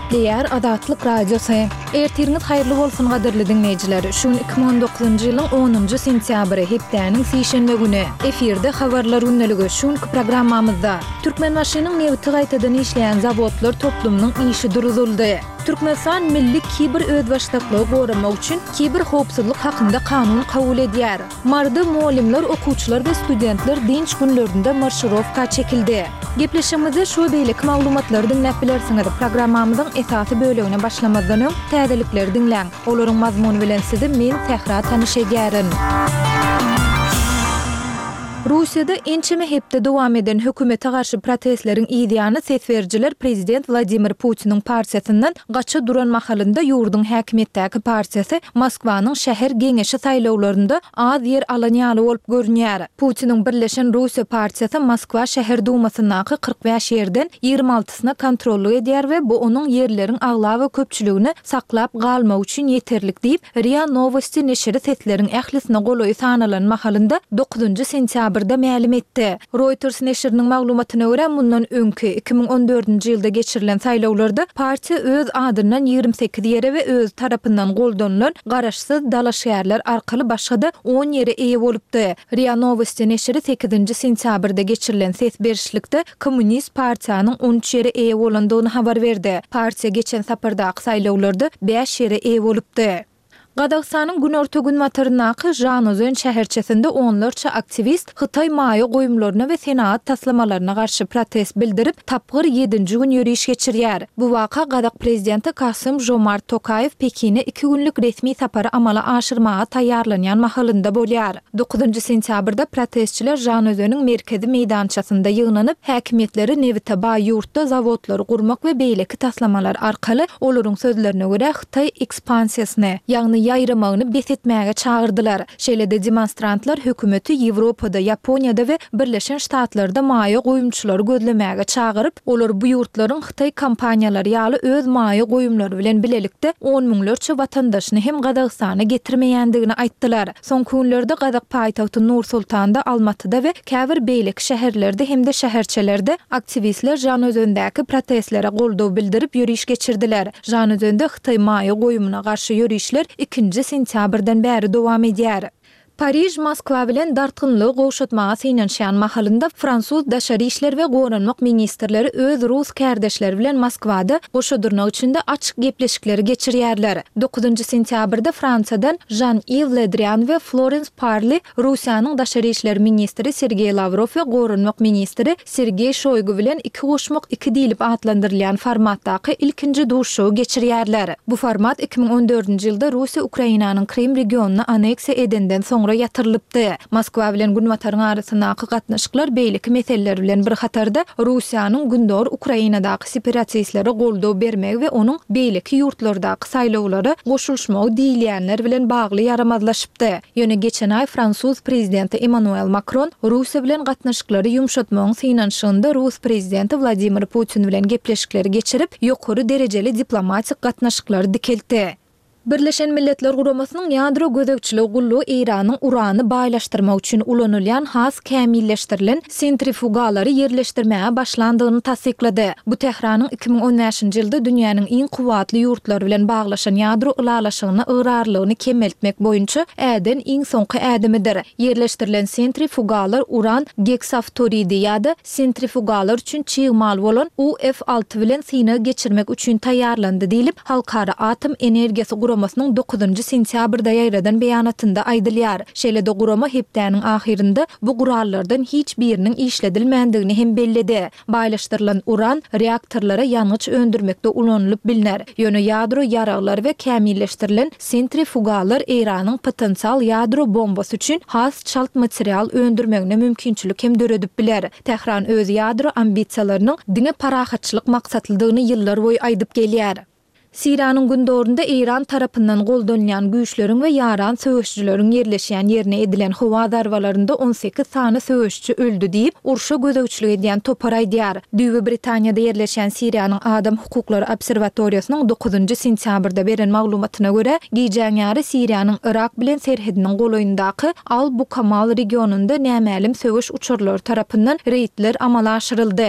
Gepleýär Azatlyk Radiosy. Ertiriňiz haýyrly bolsun gadyrly diňleýjiler. Şu gün 2019-njy ýylyň onunjy sentýabry, hepdäniň sişenbe güni. Efirde Habarlar gündeligi. Şu günki programmamyzda, Türkmenbaşynyň nebiti gaýtadan işleýän zawodlar toplumynyň işi duruzyldy. Türkmenistan milli kiber özbaşdaklygy goramak üçin kiber howpsuzlyk hakynda kanun kabul edýär. Maryda mugallymlar, okuwçylar we studentler dynç günlerinde marşirowka çekildi. Gepleşigimizde şu we beýleki maglumatlary diňläp bilersiňiz. Programmamyzyň esasy bölegine başlamazdan öň, täzelikleri diňläň. Olaryň mazmuny bilen sizi men, Sähra tanyş edýärin. Russiýada ençeme hepde dowam eden hökümete garşy protestleriň yzýany ses berijiler prezident Wladimir Putiniň partiýasyndan gaça duran mahalynda ýurduň häkimiýetdäki partiýasy Moskwanyň şäher geňeşi saýlawlarynda az ýer alan ýaly bolup görünýär. Putiniň Birleşen Russiýa partiýasy Moskwa şäher dumasyndaky 45 ýerden 26-syna kontrollyk edýär we bu onuň ýerleriň aglaba köpçüligini saklap galmagy üçin ýeterlik diýip, Ria Nowosti neşiri sesleriň ählisine golaýy sanalan mahalynda dokuzynjy sentýabrda mälim etdi. Reuters neşiriniň maglumatyna görä, mundan öňki, 2014-nji ýylda geçirilen saýlawlarda partiýa öz adyndan 28 ýere we özi tarapyndan goldanylan garaşsyz dalaşgärler arkaly başga-da on ýere eýe bolupdy. Ria Nowosti neşiri sekizinji sentýabrda geçirilen ses berişlikde Kommunist partiýanyň 13 ýere eýe bolandygyny habar berdi. Partiýa geçen sapardaky saýlawlarda bäş ýere eýe bolupdy. Gazagystanyň günorta-günbataryndaky Žanaozen şäherçesinde onlarça aktiwist hytaý maýa goýumlaryna we senagat taslamalaryna garşy protest bildirip, tapgyr ýedinji gün ýöriş geçirýär. Bu waka gazak prezidenti Kasym-Žomart Tokaýew Pekine iki günlük resmi sapary amala aşyrmaga taýýarlanýan mahalynda bolýar. Dokuzynjy sentýabrda protestçiler Žanaözeniň merkezi meýdançasynda ýygnanyp, häkimiýetleri nebite baý ýurtda zawodlary gurmak we beýleki taslamalar arkaly, olaryň sözlerine görä, hytaý ekspansiýasyny, ýagny ýaýramagyny bes etmäge çagyrdylar. Şeýle-de demonstrantlar hökümeti Ýewropada, Ýaponiýada we Birleşen Ştatlarda maýa goýumçylary gözlemäge çagyryp, olar bu ýurtlaryň hytaý kompaniýalary ýaly öz maýa goýumlary bilen bilelikde on müňlerçe watandaşyny hem Gazagystana getirmeýändigini aýtdylar. Soňky günlerde gazak paýtagty Nur-Sultanda, Almatyda we käbir beýleki şäherlerde hem-de şäherçelerde aktiwistler Žanaözendäki protestlere goldaw bildirip ýöriş geçirdiler. Žanaözende hytaý maýa goýumyna garşy ýörişler ikinji sentýabrdan bäri dowam edýär. Pariž Moskwa bilen dartgynlygy gowşatmaga synanyşýan mahalynda fransuz daşary işler we goranmak ministrleri öz rus kärdeşleri bilen Moskwada goşa dyrnak içinde açyk gepleşikleri geçirýärler. Dokuzynjy sentýabrda Fransiýadan Žan-Iw Le Drian we Florens Parli Russiýanyň daşary işler ministri Sergeý Lawrow we goranmak ministri Sergeý Şoýgu bilen iki goşmak iki diýlip atlandyrylýan formatdaky ilkinji duşuşygy geçirýärler. Bu format 2014-nji ýylda Russiýa Ukrainanyň Krym regionyny anneksiýa edenden soňra ýatyrylypdy. Moskwa bilen Günbataryň arasyndaky gatnaşyklar beýleki meseleler bilen bir hatarda Russiýanyň gündogar Ukrainadaky separatistlere goldaw bermegi we onuň beýleki ýurtlardaky saýlawlara goşulyşmagy diýilýänler bilen bagly ýaramazlaşypdy. Ýöne geçen aý fransuz prezidenti Emmanuel Makron Russiýa bilen gatnaşyklary ýumşatmagyň synanyşygynda rus prezidenti Wladimir Putin bilen gepleşikleri geçirip, ýokary derejeli diplomatik gatnaşyklary dikeltdi. Birleşen Milletler Guramasynyň Ýadro gözegçiligi gullugy Eýranyň urany baýlaşdyrmak üçin ulanylýan has kämilleşdirilen sentrifugalary ýerleşdirmäge başlandygyny tassyklady. Bu Tähranyň 2015-nji ýylda dünýäniň iň kuwwatly ýurtlary bilen baglaşan ýadro ylalaşygyna ygrarlylygyny kemeltmek boýunça äden iň soňky ädimidir. Ýerleşdirilen sentrifugalar uran geksaftoridi ýa-da sentrifugalar üçin çig mal bolan UF 6 bilen synag geçirmek üçin taýýarlandy diýlip, Halkara atom energiýasy guramasynyň dokuzynjy sentýabrda ýaýradan beýanatynda aýdylýar. Şeýle-de gurama hepdäniň ahyrynda bu gurallardan hiç biriniň işledilmändigini hem belledi. Baýlaşdyrylan uran reaktorlara ýangyç öndürmekde ulanylyp bilner. Ýöne ýadro ýaraglar we kämilleşdirilen sentrifugalar Eýranyň potensial ýadro bombasy üçin has çalt material öndürmegine mümkinçilik hem döredip biler. Tähran öz ýadro ambisiýalarynyň diňe parahatçylyk maksatlydygyny ýyllarboýy aýdyp gelýär. Siriýanyň gündogarynda Eýran tarapyndan goldanylýan güýçleriň we ýaran söweşijileriň ýerleşýän ýerine edilen howa zarbalarynda 18 sany söweşiji öldi diýip, urşa gözegçilik edýän topar aýdýar. Düýbi Britaniýada ýerleşýän Siriýanyň Adam hukuklary obserwatoriýasynyň dokuzynjy sentýabrda beren maglumatyna görä, gijäň ýary Siriýanyň Yrak bilen serhediniň golaýyndaky Al-Bukamal regionynda nämälim söweş uçarlary tarapyndan reýdler amala aşyryldy.